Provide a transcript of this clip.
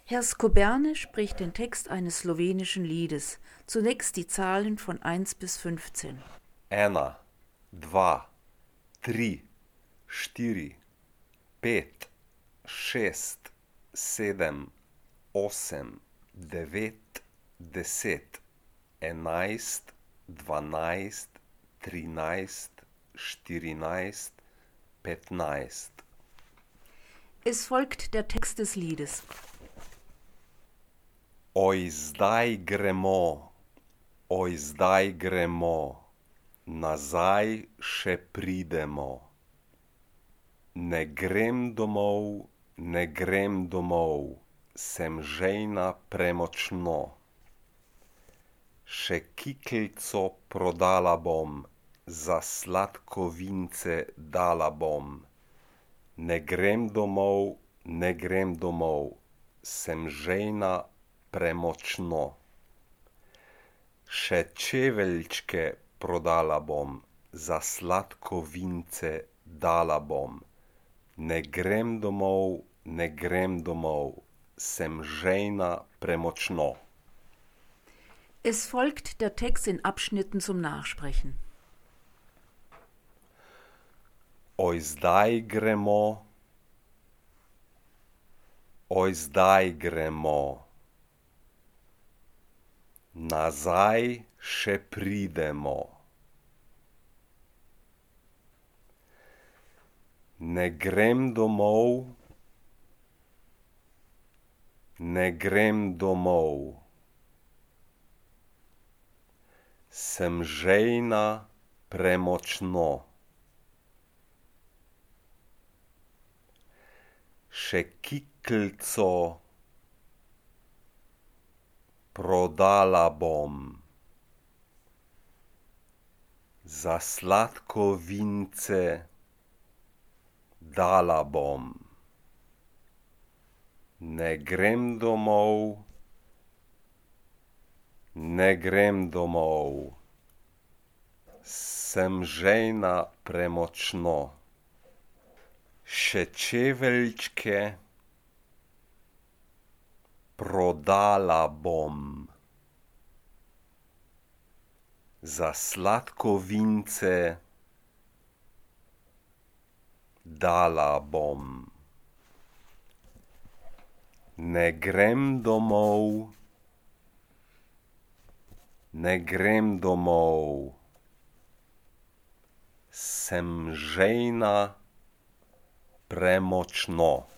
Herr Skoberne spricht den Text eines slowenischen Liedes. Zunächst die Zahlen von 1 bis 15. 1, 2, 3, 4, 5, 6, 7, 8, 9, 10, 11, 12, 13, 14, 15. Es folgt der Text des Liedes. Oj zdaj gremo, nazaj še pridemo. Ne grem domov, sem žejna premočno. Še kiklico prodala bom, za sladkovince dala bom. Ne grem domov, sem žejna premočno. Še čeveljčke prodala bom, za sladkovince dala bom. Ne grem domov, sem žejna premočno. Es folgt der Text in Abschnitten zum Nachsprechen. Oj zdaj gremo, nazaj še pridemo. Ne grem domov, sem žejna premočno. Še kiklico prodala bom, za sladkovince dala bom. Ne grem domov, sem žejna premočno. Še čeveljčke prodala bom, za sladkovince dala bom. Ne grem domov, sem žejna premočno.